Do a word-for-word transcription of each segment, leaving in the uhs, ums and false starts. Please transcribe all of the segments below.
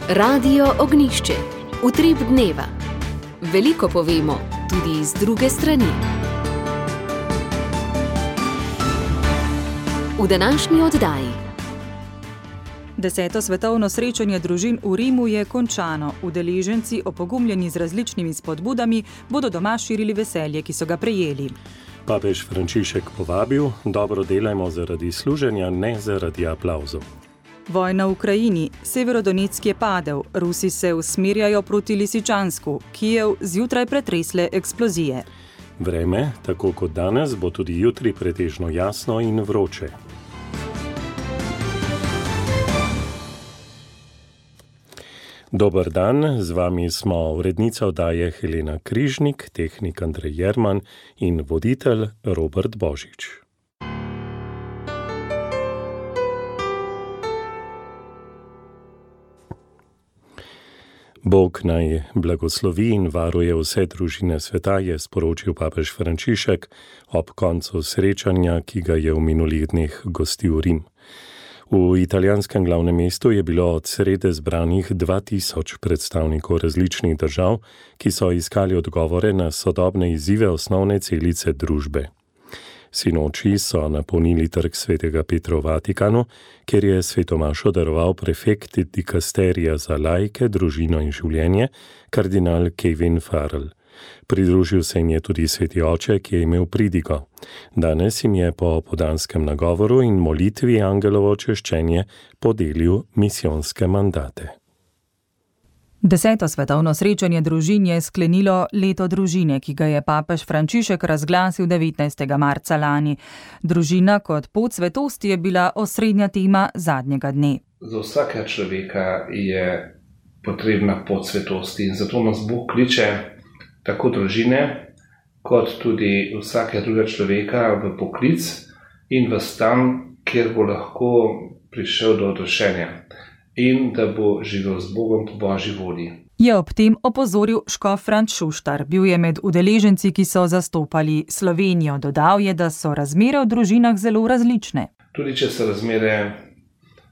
Radio Ognjišče, utrip dneva. Veliko povemo, tudi iz druge strani. V današnji oddaji. Deseto svetovno srečanje družin v Rimu je končano. Udeleženci, opogumljeni z različnimi spodbudami, bodo doma širili veselje, ki so ga prejeli. Papež Frančišek povabil: dobro delajmo zaradi služenja, ne zaradi aplavzov. Vojna v Ukrajini. Severodonetsk je padel. Rusi se usmerjajo proti Lisičansku. Kijev zjutraj pretresle eksplozije. Vreme, tako kot danes, bo tudi jutri pretežno jasno in vroče. Dober dan, z vami smo urednica oddaje Helena Križnik, tehnik Andrej Jerman in voditelj Robert Božič. Bog naj blagoslovi in varuje vse družine sveta, je sporočil papež Frančišek ob koncu srečanja, ki ga je v minulih dneh gostil Rim. V italijanskem glavnem mestu je bilo od srede zbranih dva tisoč predstavnikov različnih držav, ki so iskali odgovore na sodobne izzive osnovne celice družbe. Sinoči so napolnili trg svetega Petra v Vatikanu, kjer je svetomašo daroval prefekt dikasterija za laike, družino in življenje, kardinal Kevin Farrell. Pridružil se jim je tudi sveti oče, ki je imel pridigo. Danes jim je po podanskem nagovoru in molitvi angelovo češčenje podelil misijonske mandate. Deseto svetovno srečanje družin je sklenilo leto družine, ki ga je papež Frančišek razglasil devetnajstega marca lani. Družina kot pot svetosti je bila osrednja tema zadnjega dne. Za vsakega človeka je potrebna pot svetosti in zato nas Bog kliče tako družine, kot tudi vsakega drugega človeka v poklic in v stan, kjer bo lahko prišel do odrešenja in da bo živel z Bogom po Božji volji. Je ob tem opozoril škof Franc Šuštar. Bil je med udeleženci, ki so zastopali Slovenijo. Dodal je, da so razmere v družinah zelo različne. Tudi če so razmere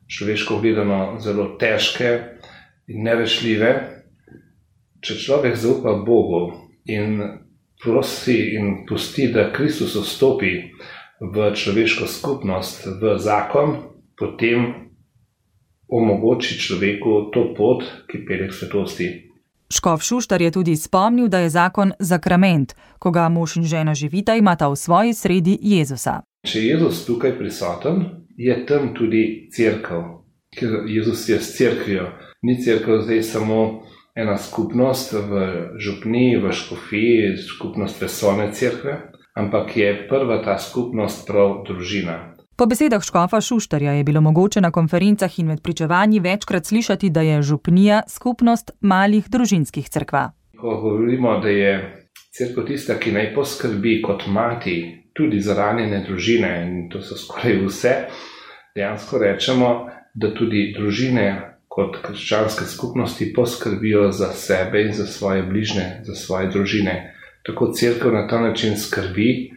človeško gledano zelo težke in nerešljive, če človek zaupa Bogu in prosi in pusti, da Kristus vstopi v človeško skupnost, v zakon, potem omogoči človeku to pot, ki pelje k svetosti. Škof Šuštar je tudi spomnil, da je zakon sakrament. Ko ga mož in žena živita, imata v svoji sredi Jezusa. Če je Jezus tukaj prisoten, je tam tudi cerkev, ker Jezus je s cerkvijo. Ni cerkev zdaj samo ena skupnost v župniji, v škofiji, skupnost vesolne cerkve, ampak je prva ta skupnost prav družina. Po besedah škofa Šuštarja je bilo mogoče na konferencah in med pričevanji večkrat slišati, da je župnija skupnost malih družinskih cerkva. Ko govorimo, da je cerkev tista, ki naj poskrbi kot mati tudi za ranjene družine, in to so skoraj vse, dejansko rečemo, da tudi družine kot krščanske skupnosti poskrbijo za sebe in za svoje bližnje, za svoje družine. Tako cerkev na ta način skrbi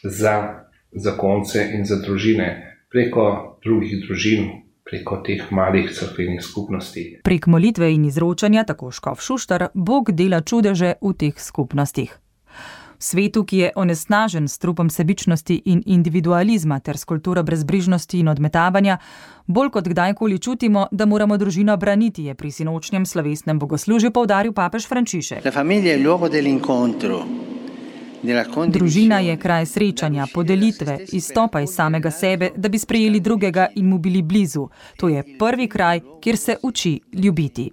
za zakonce in za družine preko drugih družin, preko teh malih cerkvenih skupnosti. Prek molitve in izročanja, tako škof Šuštar, Bog dela čudeže v teh skupnostih. V svetu, ki je onesnažen s trupom sebičnosti in individualizma ter s kulturo brezbrižnosti in odmetavanja, bolj kot kdajkoli čutimo, da moramo družino braniti, je pri sinočnjem slovesnem bogoslužju poudaril papež Frančišek. La famiglia è il luogo dell'incontro. Družina je kraj srečanja, podelitve, izstopa iz samega sebe, da bi sprejeli drugega in mu bili blizu. To je prvi kraj, kjer se uči ljubiti.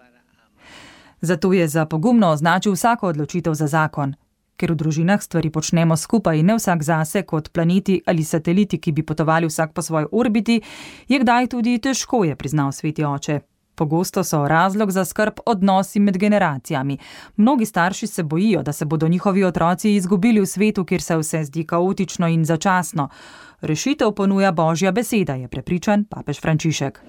Zato je za pogumno označil vsako odločitev za zakon. Ker v družinah stvari počnemo skupaj in ne vsak zase kot planeti ali sateliti, ki bi potovali vsak po svoji orbiti, je kdaj tudi težko, je priznal sveti oče. Pogosto so razlog za skrb odnosi med generacijami. Mnogi starši se bojijo, da se bodo njihovi otroci izgubili v svetu, kjer se vse zdi kaotično in začasno. Rešitev ponuja Božja beseda, je prepričan papež Frančišek.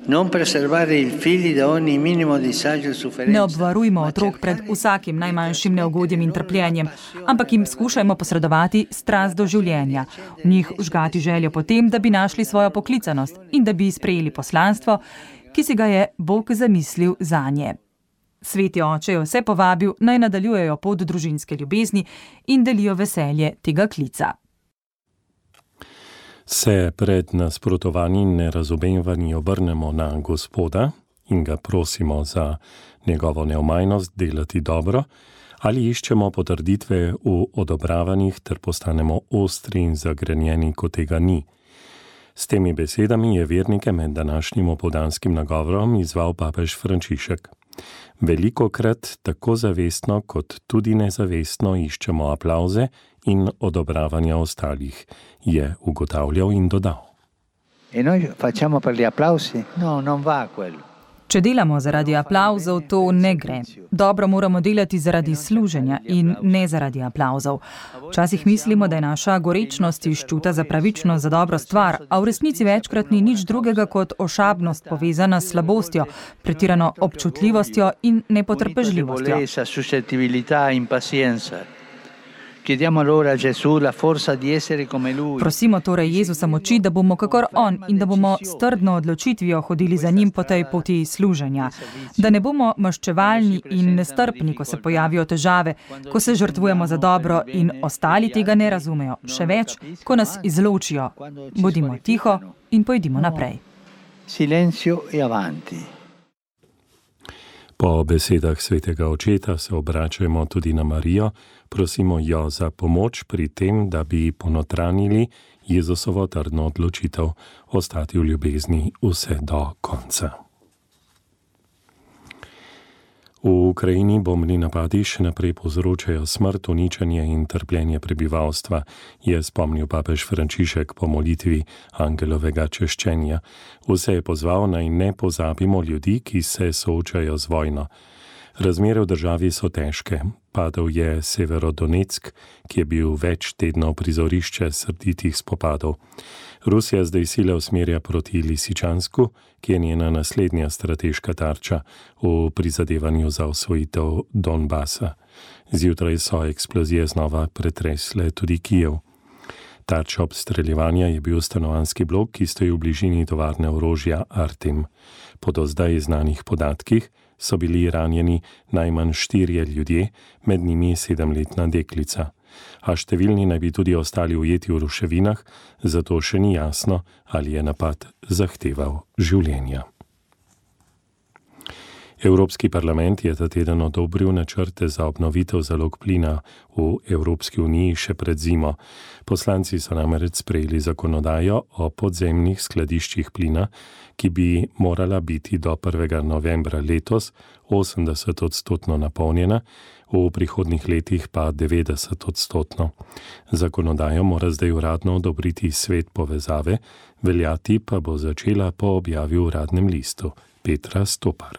Ne obvarujmo otrok pred vsakim najmanjšim neugodjem in trpljenjem, ampak jim skušajmo posredovati strast do življenja. V njih vžgati željo potem, da bi našli svojo poklicanost in da bi sprejeli poslanstvo, ki si ga je Bog zamislil zanje. Sveti oče je vse povabil, naj nadaljujejo pot družinske ljubezni in delijo veselje tega klica. Se pred nasprotovanji in nerazumevanji obrnemo na Gospoda in ga prosimo za njegovo neomajnost delati dobro, ali iščemo potrditve v odobravanjih ter postanemo ostri in zagrenjeni, ko tega ni. S temi besedami je vernike med današnjim opoldanskim nagovorom izval papež Frančišek. Velikokrat tako zavestno kot tudi nezavestno iščemo aplavze in odobravanja ostalih, je ugotavljal in dodal. E noi facciamo per gli applausi? No, non va quello. Če delamo zaradi aplavzov, to ne gre. Dobro moramo delati zaradi služenja in ne zaradi aplavzov. Včasih mislimo, da je naša gorečnost iz čuta za pravičnost za dobro stvar, a v resnici večkrat ni nič drugega kot ošabnost povezana s slabostjo, pretirano občutljivostjo in nepotrpežljivostjo. Prosimo torej Jezusa moči, da bomo kakor on in da bomo s trdno odločitvijo hodili za njim po tej poti služenja. Da ne bomo maščevalni in nestrpni, ko se pojavijo težave, ko se žrtvujemo za dobro in ostali tega ne razumejo. Še več, ko nas izločijo. Bodimo tiho in pojdimo naprej. Silenzio e avanti. Po besedah svetega očeta se obračajmo tudi na Marijo, prosimo jo za pomoč pri tem, da bi ponotranili Jezusovo trdno odločitev ostati v ljubezni vse do konca. V Ukrajini bombni napadi še naprej povzročajo smrt, uničenje in trpljenje prebivalstva, je spomnil papež Frančišek po molitvi angelovega češčenja. Vse je pozval, naj ne pozabimo ljudi, ki se soočajo z vojno. Razmere v državi so težke. Padel je Severodonetsk, ki je bil več tednov prizorišče srditih spopadov. Rusija zdaj sile usmerja proti Lisičansku, ki je njena naslednja strateška tarča v prizadevanju za osvojitev Donbasa. Zjutraj so eksplozije znova pretresle tudi Kijev. Tarča obstreljevanja je bil stanovanjski blok, ki stoji v bližini tovarne orožja Artem. Po do zdaj znanih podatkih so bili ranjeni najmanj štirje ljudje, med njimi sedemletna deklica. A številni naj bi tudi ostali ujeti v ruševinah, zato še ni jasno, ali je napad zahteval življenja. Evropski parlament je ta teden odobril načrte za obnovitev zalog plina v Evropski uniji še pred zimo. Poslanci so namreč sprejeli zakonodajo o podzemnih skladiščih plina, ki bi morala biti do prvega novembra letos osemdeset odstotno napolnjena, v prihodnih letih pa devetdeset odstotno. Zakonodajo mora zdaj uradno odobriti svet povezave, veljati pa bo začela po objavi v uradnem listu. Petra Stopar.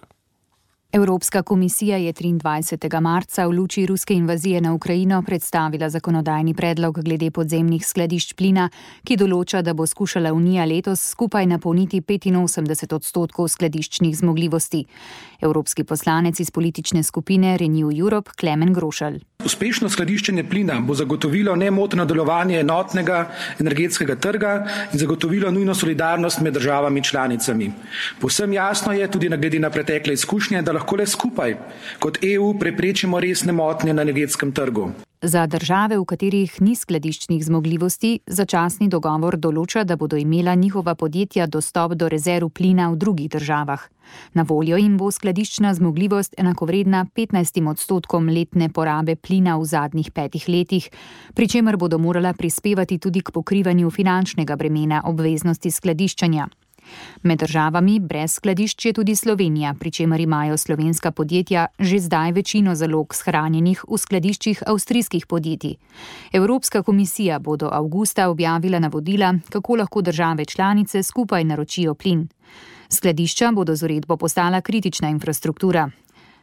Evropska komisija je triindvajsetega marca v luči ruske invazije na Ukrajino predstavila zakonodajni predlog glede podzemnih skladišč plina, ki določa, da bo skušala Unija letos skupaj napolniti petinosemdeset odstotkov skladiščnih zmogljivosti. Evropski poslanec iz politične skupine Renew Europe Klemen Grošelj. Uspešno skladiščenje plina bo zagotovilo nemoteno delovanje enotnega energetskega trga in zagotovilo nujno solidarnost med državami članicami. Povsem jasno je tudi glede na pretekle izkušnje, da lahko le skupaj kot E U preprečimo resne motnje na energetskem trgu. Za države, v katerih ni skladiščnih zmogljivosti, začasni dogovor določa, da bodo imela njihova podjetja dostop do rezerv plina v drugih državah. Na voljo jim bo skladiščna zmogljivost enakovredna petnajstim odstotkom letne porabe plina v zadnjih petih letih, pri čemer bodo morala prispevati tudi k pokrivanju finančnega bremena obveznosti skladiščenja. Med državami brez skladišč je tudi Slovenija, pri čemer imajo slovenska podjetja že zdaj večino zalog shranjenih v skladiščih avstrijskih podjetij. Evropska komisija bo do avgusta objavila navodila, kako lahko države članice skupaj naročijo plin. Skladišča bodo z uredbo postala kritična infrastruktura.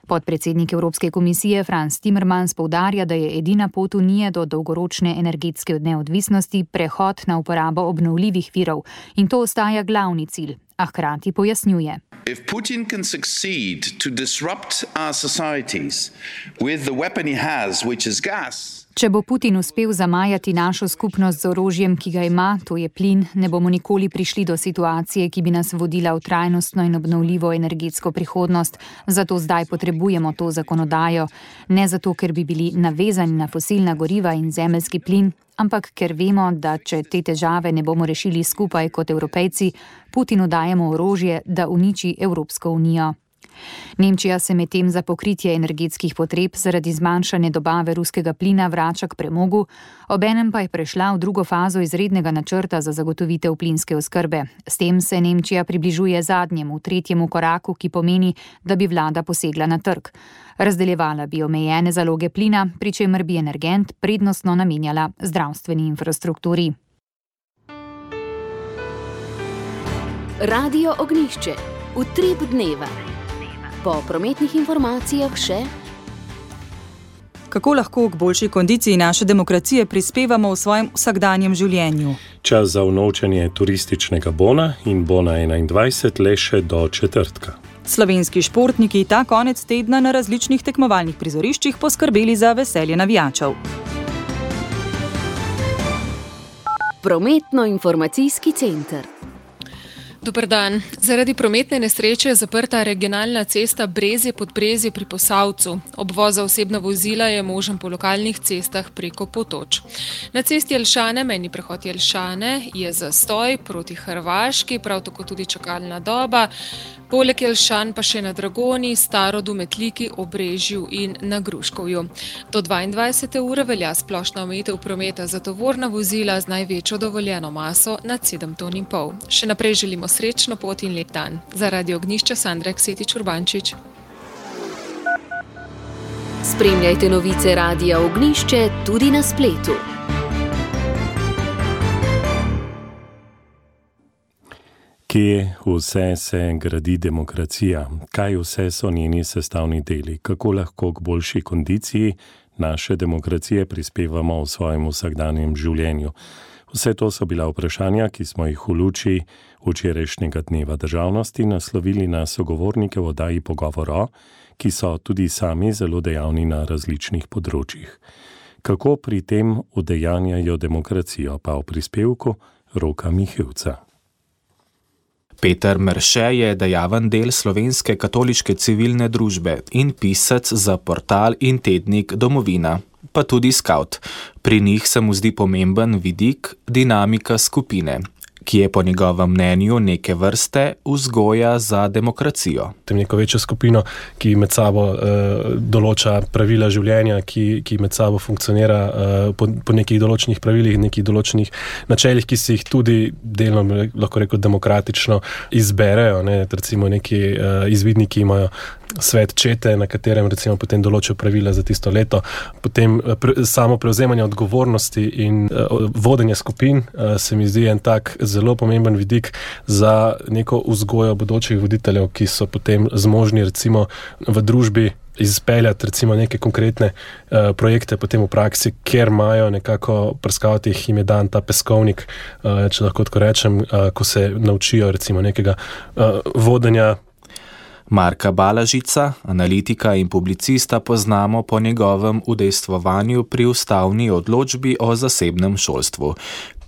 Podpredsednik Evropske komisije Frans Timmermans poudarja, da je edina pot Unije do dolgoročne energetske neodvisnosti prehod na uporabo obnovljivih virov in to ostaja glavni cilj, a hkrati pojasnjuje. If Putin can succeed to disrupt our societies with the weapon he has, which is gas. Če bo Putin uspel zamajati našo skupnost z orožjem, ki ga ima, to je plin, ne bomo nikoli prišli do situacije, ki bi nas vodila v trajnostno in obnovljivo energetsko prihodnost. Zato zdaj potrebujemo to zakonodajo. Ne zato, ker bi bili navezani na fosilna goriva in zemeljski plin, ampak ker vemo, da če te težave ne bomo rešili skupaj kot Evropejci, Putinu dajemo orožje, da uniči Evropsko unijo. Nemčija se medtem za pokritje energetskih potreb zaradi zmanjšanja dobave ruskega plina vrača k premogu, obenem pa je prešla v drugo fazo izrednega načrta za zagotovitev plinske oskrbe. S tem se Nemčija približuje zadnjemu, tretjemu koraku, ki pomeni, da bi vlada posegla na trg. Razdeljevala bi omejene zaloge plina, pri čemer bi energent prednostno namenjala zdravstveni infrastrukturi. Radio Ognjišče. Utrip dneva. Po prometnih informacijah še. Kako lahko k boljši kondiciji naše demokracije prispevamo v svojem vsakdanjem življenju? Čas za unovčenje turističnega bona in bona enaindvajset le še do četrtka. Slovenski športniki ta konec tedna na različnih tekmovalnih prizoriščih poskrbeli za veselje navijačev. Prometno-informacijski center. Dober dan. Zaradi prometne nesreče je zaprta regionalna cesta Brezje-Podbrezje pri Posavcu. Obvoz za osebna vozila je možen po lokalnih cestah preko Potoč. Na cesti Jelšane, mejni prehod Jelšane, je zastoj proti Hrvaški, prav tako tudi čakalna doba. Poleg Jelšan pa še na Dragoni, Starodu, Metliki, Obrežju in na Gruškovju. Do dvaindvajsete ure velja splošna omejitev prometa za tovorna vozila z največjo dovoljeno maso nad sedem ton in pol. Še naprej želimo srečno pot in lep dan. Za Radio Ognjišče Sandra Ksetič Urbančič. Spremljajte novice Radia Ognjišče tudi na spletu. Kje vse se gradi demokracija? Kaj vse so njeni sestavni deli? Kako lahko k boljši kondiciji naše demokracije prispevamo v svojem vsakdanjem življenju? Vse to so bila vprašanja, ki smo jih v luči včerajšnjega dneva državnosti naslovili na sogovornike v oddaji Pogovor, ki so tudi sami zelo dejavni na različnih področjih. Kako pri tem udejanjajo demokracijo, pa v prispevku Roka Mihevca. Peter Merše je dejaven del Slovenske katoliške civilne družbe in pisec za portal in tednik Domovina, pa tudi skavt. Pri njih se mu zdi pomemben vidik dinamika skupine, ki je po njegovem mnenju neke vrste vzgoja za demokracijo. Tem neko večjo skupino, ki med sabo uh, določa pravila življenja, ki, ki med sabo funkcionira uh, po, po nekih določenih pravilih, nekih določenih načelih, ki si jih tudi delno, lahko rekel, demokratično izberejo. Ne? Recimo neki uh, izvidniki imajo svet čete, na katerem recimo potem določijo pravila za tisto leto. Potem pre, samo prevzemanje odgovornosti in uh, vodenje skupin uh, se mi zdi en tak zelo pomemben vidik za neko vzgojo bodočih voditeljev, ki so potem zmožni recimo v družbi izpeljati recimo neke konkretne uh, projekte potem v praksi, kjer imajo nekako prskavati, jim je dan ta peskovnik, uh, če lahko tako rečem, uh, ko se naučijo recimo nekega uh, vodenja. Marka Balažica, analitika in publicista, poznamo po njegovem udejstvovanju pri ustavni odločbi o zasebnem šolstvu.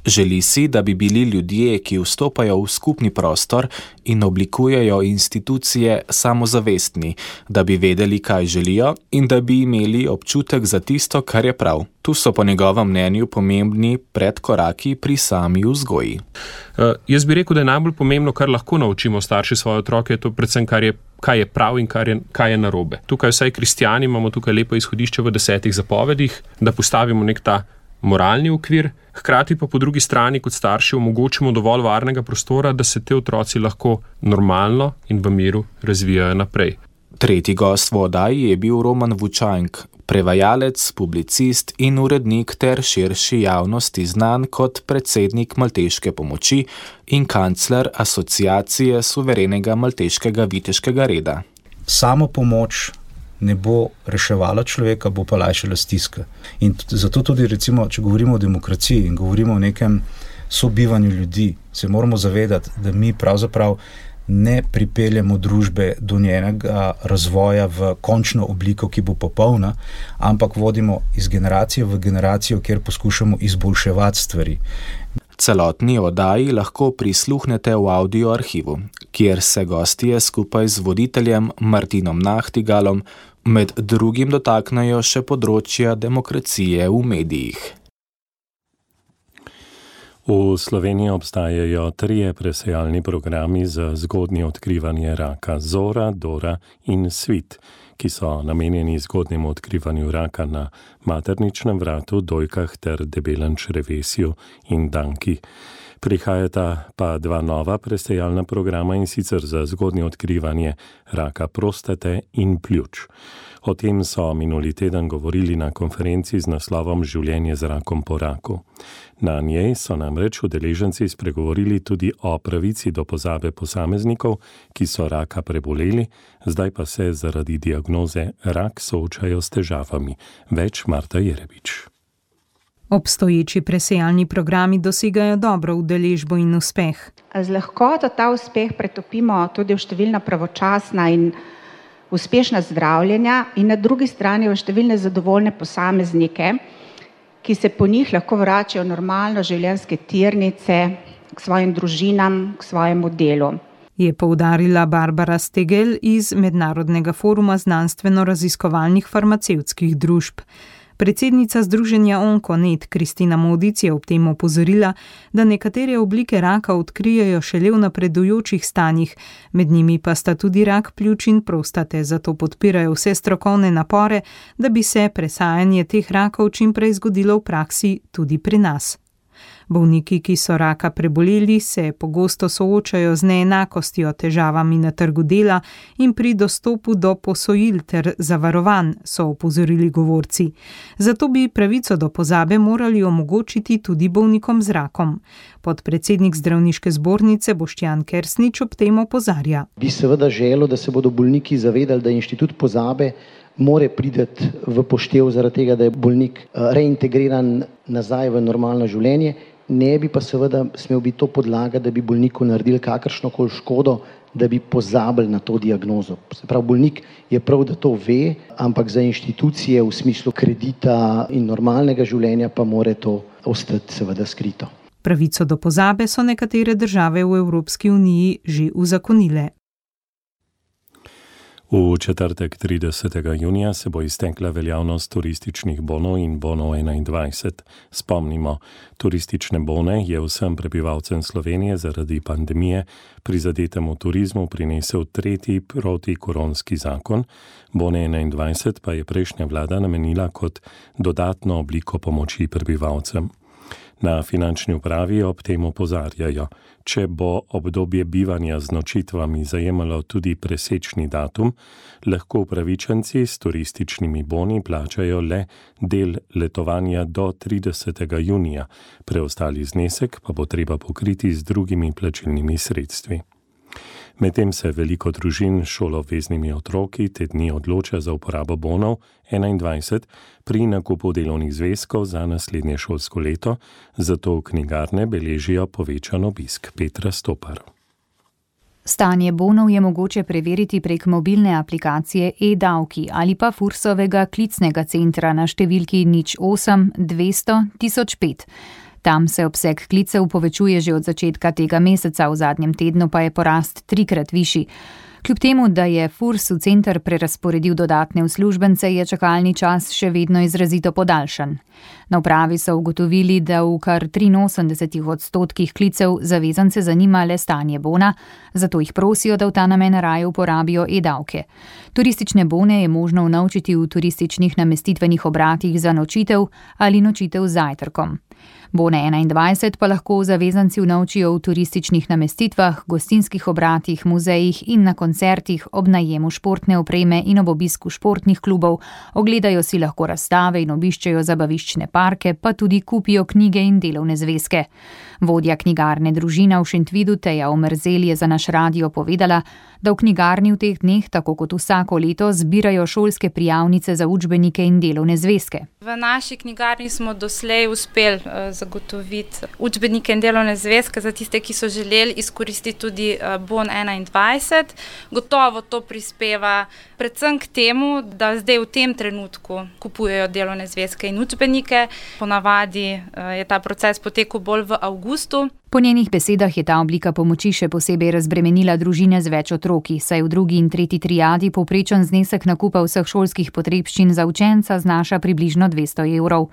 Želi si, da bi bili ljudje, ki vstopajo v skupni prostor in oblikujejo institucije, samozavestni, da bi vedeli, kaj želijo in da bi imeli občutek za tisto, kar je prav. Tu so po njegovem mnenju pomembni predkoraki pri sami vzgoji. Uh, jaz bi rekel, da je najbolj pomembno, kar lahko naučimo starši svoje otroke, to predvsem, kar je, kaj je prav in kar je, kaj je narobe. Tukaj vsaj kristjani imamo tukaj lepo izhodišče v desetih zapovedih, da postavimo nek ta moralni okvir, hkrati pa po drugi strani kot starši omogočimo dovolj varnega prostora, da se te otroci lahko normalno in v miru razvijajo naprej. Tretji gost v oddaji je bil Roman Vučank, prevajalec, publicist in urednik ter širši javnosti znan kot predsednik Malteške pomoči in kancler Asociacije suverenega malteškega viteškega reda. Samo pomoč ne bo reševala človeka, bo pa lajšala stiska. In zato tudi, recimo, če govorimo o demokraciji in govorimo o nekem sobivanju ljudi. Se moramo zavedati, da mi pravzaprav ne pripeljemo družbe do njenega razvoja v končno obliko, ki bo popolna, ampak vodimo iz generacije v generacijo, kjer poskušamo izboljševati stvari. Celotni oddaji lahko prisluhnete v audio arhivu, kjer se gostje skupaj z voditeljem Martinom Nahtigalom med drugim dotaknejo še področja demokracije v medijih. V Sloveniji obstajajo trije presejalni programi za zgodnje odkrivanje raka: Zora, Dora in Svit, ki so namenjeni zgodnjemu odkrivanju raka na materničnem vratu, dojkah ter debelem črevesju in danki. Prihajata pa dva nova presejalna programa, in sicer za zgodnje odkrivanje raka prostate in pljuč. O tem so minuli teden govorili na konferenci z naslovom Življenje z rakom po raku. Na njej so namreč udeleženci spregovorili tudi o pravici do pozabe posameznikov, ki so raka preboleli, zdaj pa se zaradi diagnoze rak soočajo s težavami. Več Marta Jerebič. Obstoječi presejalni programi dosegajo dobro udeležbo in uspeh. Z lahkoto ta uspeh pretopimo tudi v številna pravočasna in uspešna zdravljenja in na drugi strani v številne zadovoljne posameznike, ki se po njih lahko vračajo normalno življenjske tirnice k svojim družinam, k svojemu delu. Je poudarila Barbara Stegel iz Mednarodnega foruma znanstveno-raziskovalnih farmacevtskih družb. Predsednica združenja Onkonet Kristina Modic je ob tem opozorila, da nekatere oblike raka odkrijejo šele v napredujočih stanjih, med njimi pa sta tudi rak pljuč in prostate, zato podpirajo vse strokovne napore, da bi se presajanje teh rakov čim prej zgodilo v praksi tudi pri nas. Bolniki, ki so raka preboleli, se pogosto soočajo z neenakostjo, težavami na trgu dela in pri dostopu do posojil ter zavarovanj, so opozorili govorci. Zato bi pravico do pozabe morali omogočiti tudi bolnikom z rakom. Podpredsednik zdravniške zbornice Boštjan Kersnič ob tem opozarja. Bi seveda želel, da se bodo bolniki zavedali, da inštitut pozabe more priti v poštev zaradi tega, da je bolnik reintegriran nazaj v normalno življenje. Ne bi pa seveda smel biti to podlaga, da bi bolniku naredili kakršnokoli škodo, da bi pozabili na to diagnozo. Se pravi, bolnik je prav, da to ve, ampak za inštitucije v smislu kredita in normalnega življenja pa more to ostati seveda skrito. Pravico do pozabe so nekatere države v Evropski uniji že uzakonile. V četrtek tridesetega junija se bo iztekla veljavnost turističnih bonov in bonov enaindvajset. Spomnimo, turistične bone je vsem prebivalcem Slovenije zaradi pandemije prizadetemu turizmu prinesel tretji protikoronski zakon, bone enaindvajset pa je prejšnja vlada namenila kot dodatno obliko pomoči prebivalcem. Na finančni upravi ob tem opozarjajo, če bo obdobje bivanja z nočitvami zajemalo tudi presečni datum, lahko upravičenci s turističnimi boni plačajo le del letovanja do tridesetega junija, preostali znesek pa bo treba pokriti z drugimi plačilnimi sredstvi. Medtem se veliko družin s šoloobveznimi otroki te dni odloča za uporabo bonov enaindvajset pri nakupu delovnih zvezkov za naslednje šolsko leto, zato knjigarne beležijo povečan obisk. Petra Stopar. Stanje bonov je mogoče preveriti prek mobilne aplikacije e-davki ali pa Fursovega klicnega centra na številki nič osem dvesto tisoč pet. Tam se obseg klicev povečuje že od začetka tega meseca, v zadnjem tednu pa je porast trikrat višji. Kljub temu, da je Furs v center prerazporedil dodatne uslužbence, je čakalni čas še vedno izrazito podaljšan. Na upravi so ugotovili, da v kar triinosemdeset odstotkih klicev zavezance zanima le stanje bona, zato jih prosijo, da v ta namen raje uporabijo e-davke. Turistične bone je možno unovčiti v turističnih namestitvenih obratih za nočitev ali nočitev z zajtrkom. Bone enaindvajset pa lahko zavezanci unovčijo v turističnih namestitvah, gostinskih obratih, muzejih in na koncertih, ob najemu športne opreme in ob obisku športnih klubov, ogledajo si lahko razstave in obiščejo zabaviščne parke, pa tudi kupijo knjige in delovne zvezke. Vodja knjigarne Družina v Šentvidu Teja Omerzel je za naš radio povedala, da v knjigarni v teh dneh, tako kot vsako leto, zbirajo šolske prijavnice za učbenike in delovne zvezke. V naši knjigarni smo doslej uspeli zagotoviti učbenike in delovne zvezke za tiste, ki so želeli izkoristiti tudi bon enaindvajset. Gotovo to prispeva predvsem k temu, da zdaj v tem trenutku kupujejo delovne zvezke in učbenike. Ponavadi je ta proces potekal bolj v avgustu. Po njenih besedah je ta oblika pomoči še posebej razbremenila družine z več otroki, saj v drugi in tretji triadi povprečen znesek nakupa vseh šolskih potrebščin za učenca znaša približno dvesto evrov.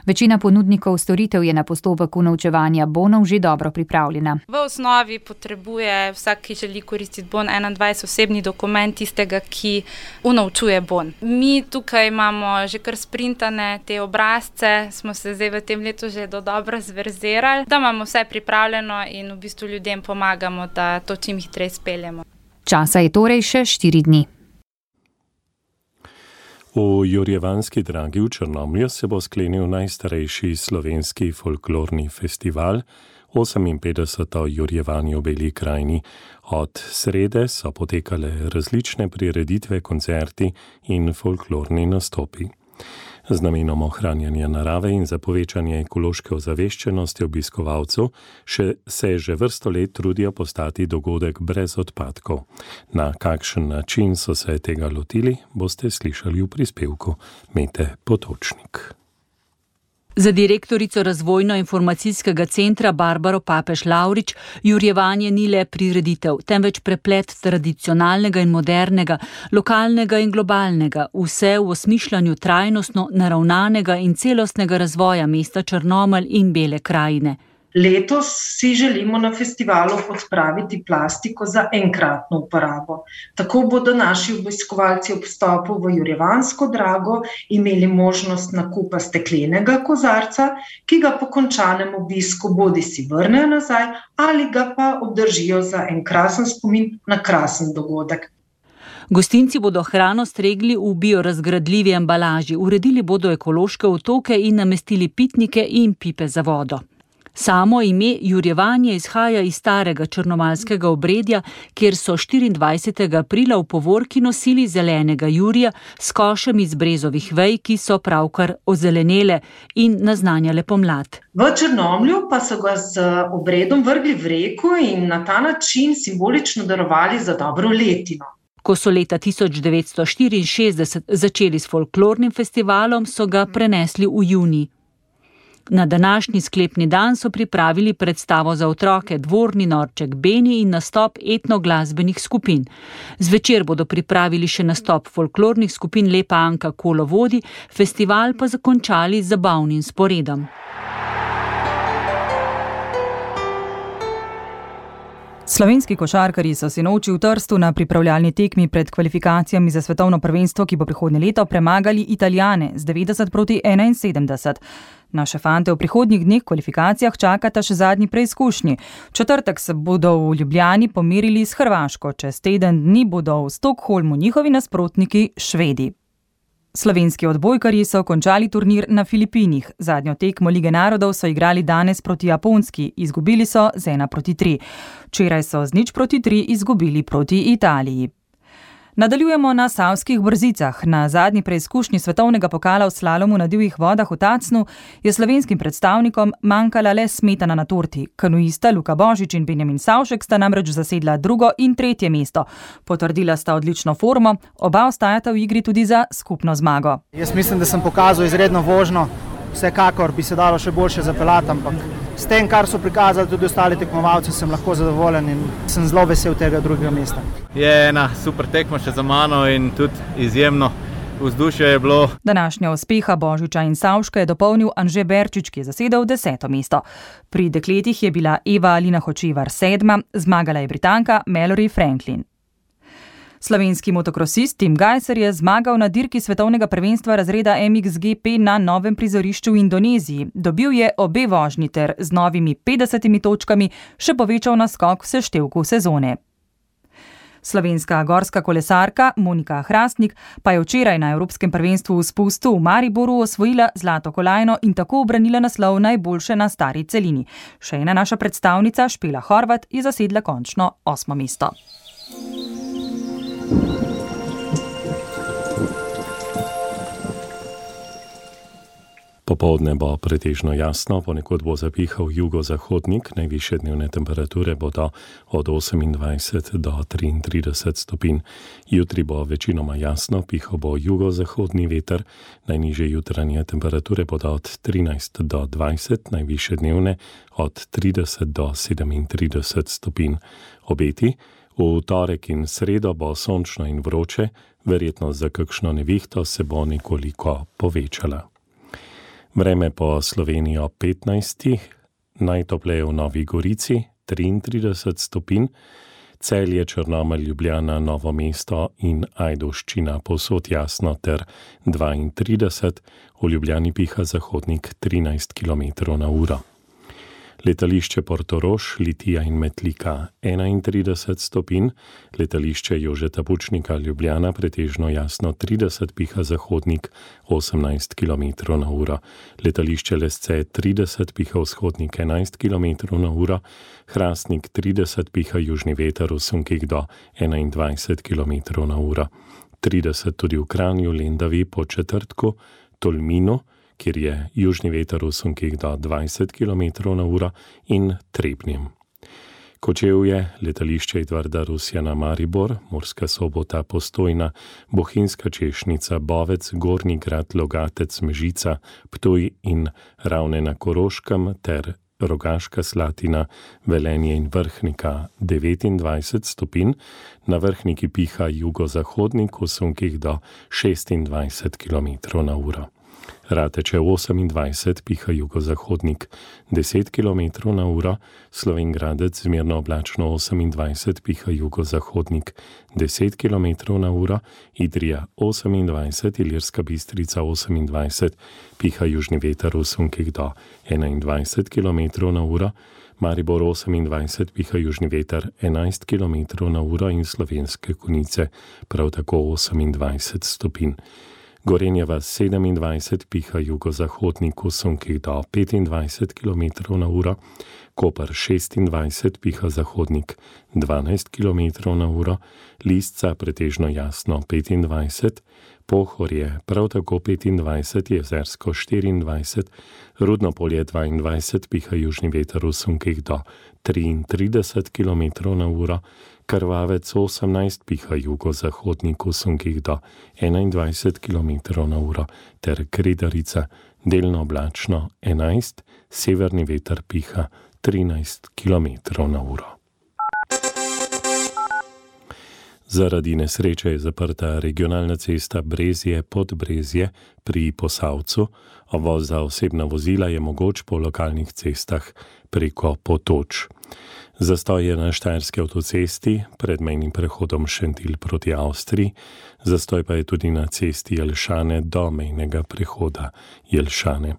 Večina ponudnikov storitev je na postopek unovčevanja bonov že dobro pripravljena. V osnovi potrebuje vsak, ki želi koristiti bon enaindvajset, osebni dokument tistega, ki unovčuje bon. Mi tukaj imamo že kar sprintane te obrazce, smo se zdaj v tem letu že do dobro zverzirali, da imamo vse pripravljeno in v bistvu ljudem pomagamo, da to čim hitreje speljemo. Časa je torej še štiri dni. V Jurjevanski dragi v Črnomlju se bo sklenil najstarejši slovenski folklorni festival, oseminpetdeseto Jurjevanje v Beli krajini. Od srede so potekale različne prireditve, koncerti in folklorni nastopi. Z namenom ohranjanja narave in za povečanje ekološke ozaveščenosti obiskovalcev še, se že vrsto let trudijo postati dogodek brez odpadkov. Na kakšen način so se tega lotili, boste slišali v prispevku Mete Potočnik. Za direktorico razvojno-informacijskega centra Barbaro Papež-Lavrič Jurjevanje ni le prireditev, temveč preplet tradicionalnega in modernega, lokalnega in globalnega, vse v osmišljanju trajnostno naravnanega in celostnega razvoja mesta Črnomelj in Bele krajine. Letos si želimo na festivalu odpraviti plastiko za enkratno uporabo. Tako bodo naši obiskovalci ob vstopu v Jurjevansko drago imeli možnost nakupa steklenega kozarca, ki ga po končanem obisku bodisi vrnejo nazaj ali ga pa obdržijo za en krasen spomin na krasen dogodek. Gostinci bodo hrano stregli v biorazgradljivi embalaži, uredili bodo ekološke otoke in namestili pitnike in pipe za vodo. Samo ime Jurjevanje izhaja iz starega črnomaljskega obredja, kjer so štiriindvajsetega aprila v povorki nosili zelenega jurja s košem iz brezovih vej, ki so pravkar ozelenele in naznanjale pomlad. V Črnomlju pa so ga z obredom vrgli v reko in na ta način simbolično darovali za dobro letino. Ko so leta tisoč devetsto štiriinšestdeset začeli s folklornim festivalom, so ga prenesli v junij. Na današnji sklepni dan so pripravili predstavo za otroke Dvorni norček Beni in nastop etnoglasbenih skupin. Zvečer bodo pripravili še nastop folklornih skupin Lepa Anka Kolovodi, festival pa zakončali z zabavnim sporedom. Slovenski košarkarji so sinoči v Trstu na pripravljalni tekmi pred kvalifikacijami za svetovno prvenstvo, ki bo prihodnje leto, premagali Italijane z devetdeset proti enainsedemdeset. Naše fante v prihodnjih dneh kvalifikacijah čakata še zadnji preizkušnji. V četrtek se bodo v Ljubljani pomerili s Hrvaško, čez teden dni bodo v Stockholmu njihovi nasprotniki Švedi. Slovenski odbojkarji so končali turnir na Filipinih. Zadnjo tekmo Lige narodov so igrali danes proti Japonski, izgubili so z ena proti tri. Včeraj so z nič proti tri izgubili proti Italiji. Nadaljujemo na Savskih Brzicah. Na zadnji preizkušnji svetovnega pokala v slalomu na divjih vodah v Tacnu je slovenskim predstavnikom manjkala le smetana na torti. Kanuista Luka Božič in Benjamin Savšek sta namreč zasedla drugo in tretje mesto. Potrdila sta odlično formo, oba ostajata v igri tudi za skupno zmago. Jaz mislim, da sem pokazal izredno vožnjo. Vsekakor bi se dalo še boljše zapeljati, ampak s tem, kar so prikazali tudi ostali tekmovalci, sem lahko zadovoljen in sem zelo vesel tega drugega mesta. Je ena super tekma še za mano in tudi izjemno vzdušje je bilo. Današnja uspeha Božiča in Savška je dopolnil Anže Berčič, ki je zasedel deseto mesto. Pri dekletih je bila Eva Alina Hočevar sedma, zmagala je Britanka Mallory Franklin. Slovenski motokrosist Tim Gajser je zmagal na dirki svetovnega prvenstva razreda M X G P na novem prizorišču v Indoneziji. Dobil je obe vožnji ter z novimi petdesetimi točkami še povečal naskok v seštevku sezone. Slovenska gorska kolesarka Monika Hrastnik pa je včeraj na Evropskem prvenstvu v spustu v Mariboru osvojila zlato kolajno in tako ubranila naslov najboljše na stari celini. Še ena naša predstavnica Špela Horvat je zasedla končno osmo mesto. Popoldne bo pretežno jasno, ponekod bo zapihal jugozahodnik, najvišje dnevne temperature bodo od osemindvajset do triintrideset stopinj. Jutri bo večinoma jasno, pihal bo jugozahodni veter, najnižje jutranje temperature bodo od trinajst do dvajset, najvišje dnevne od trideset do sedemintrideset stopinj. Obeti: v torek in sredo bo sončno in vroče, verjetnost za kakšno nevihto se bo nekoliko povečala. Vreme po Sloveniji ob petnajstih, najtopleje v Novi Gorici, triintrideset stopinj, Celje, Črnomelj, Ljubljana, Novo mesto in Ajdovščina povsod jasno ter dvaintrideset, v Ljubljani piha zahodnik trinajst kilometrov na uro. Letališče Portorož, Litija in Metlika enaintrideset stopinj, letališče Jožeta Pučnika, Ljubljana pretežno jasno trideset, piha zahodnik osemnajst kilometrov na uro, letališče Lesce trideset, piha vzhodnik enajst kilometrov na uro, Hrastnik trideset, piha južni veter v sunkih do enaindvajset kilometrov na uro, trideset tudi v Kranju, Lendavi, Podčetrtku, Tolminu, kjer je južni veter v sunkih do dvajset kilometrov na uro, in Trebnjem. Kočevje, letališče Edvarda Rusjana Maribor, Murska Sobota, Postojna, Bohinjska Češnica, Bovec, Gornji Grad, Logatec, Mežica, Ptuj in Ravne na Koroškem ter Rogaška Slatina, Velenje in Vrhnika devetindvajset stopinj, na Vrhniki piha jugozahodnik v sunkih do šestindvajset kilometrov na uro. Rateče osemindvajset, piha jugozahodnik deset kilometrov na uro, Slovenj Gradec zmerno oblačno osemindvajset, piha jugozahodnik deset kilometrov na uro, Idrija osemindvajset, Ilirska Bistrica osemindvajset, piha južni veter v sunkih do enaindvajset kilometrov na uro, Maribor osemindvajset, piha južni veter enajst kilometrov na uro in Slovenske Konjice prav tako osemindvajset stopinj. Gorenje vas sedemindvajset, piha jugozahodnik v sunkih do petindvajset kilometrov na uro, Koper šestindvajset, piha zahodnik dvanajst kilometrov na uro, Lisca pretežno jasno petindvajset, Pohorje prav tako petindvajset, Jezersko štiriindvajset, Rudnopolje dvaindvajset, piha južni veter v sunkih do triintrideset kilometrov na uro, Krvavec osemnajst, piha jugozahodnik v sunkih do enaindvajset kilometrov na uro ter Kredarica delno oblačno enajst, severni veter piha trinajst kilometrov na uro. Zaradi nesreče je zaprta regionalna cesta Brezje-Podbrezje pri Posavcu, obvoz za osebna vozila je mogoč po lokalnih cestah preko Potoč. Zastoj je na štajerski avtocesti pred mejnim prehodom Šentilj proti Avstriji, zastoj pa je tudi na cesti Jelšane do mejnega prehoda Jelšane.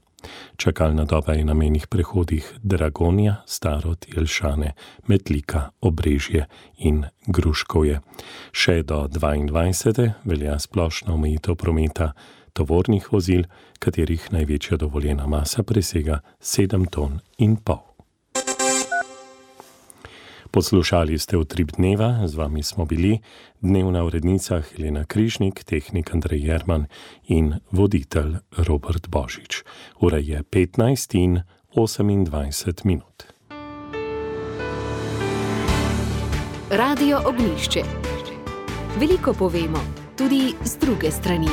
Čakalna doba je na mejnih prehodih Dragonja, Starod, Jelšane, Metlika, Obrežje in Gruškovje. Še do dvaindvajsete velja splošna omejitev prometa tovornih vozil, katerih največja dovoljena masa presega sedem ton in pol. Poslušali ste Utrip dneva, z vami smo bili dnevna urednica Helena Križnik, tehnik Andrej Jerman in voditelj Robert Božič. Ura je petnajst in osemindvajset minut. Radio Ognjišče. Veliko povemo, tudi z druge strani.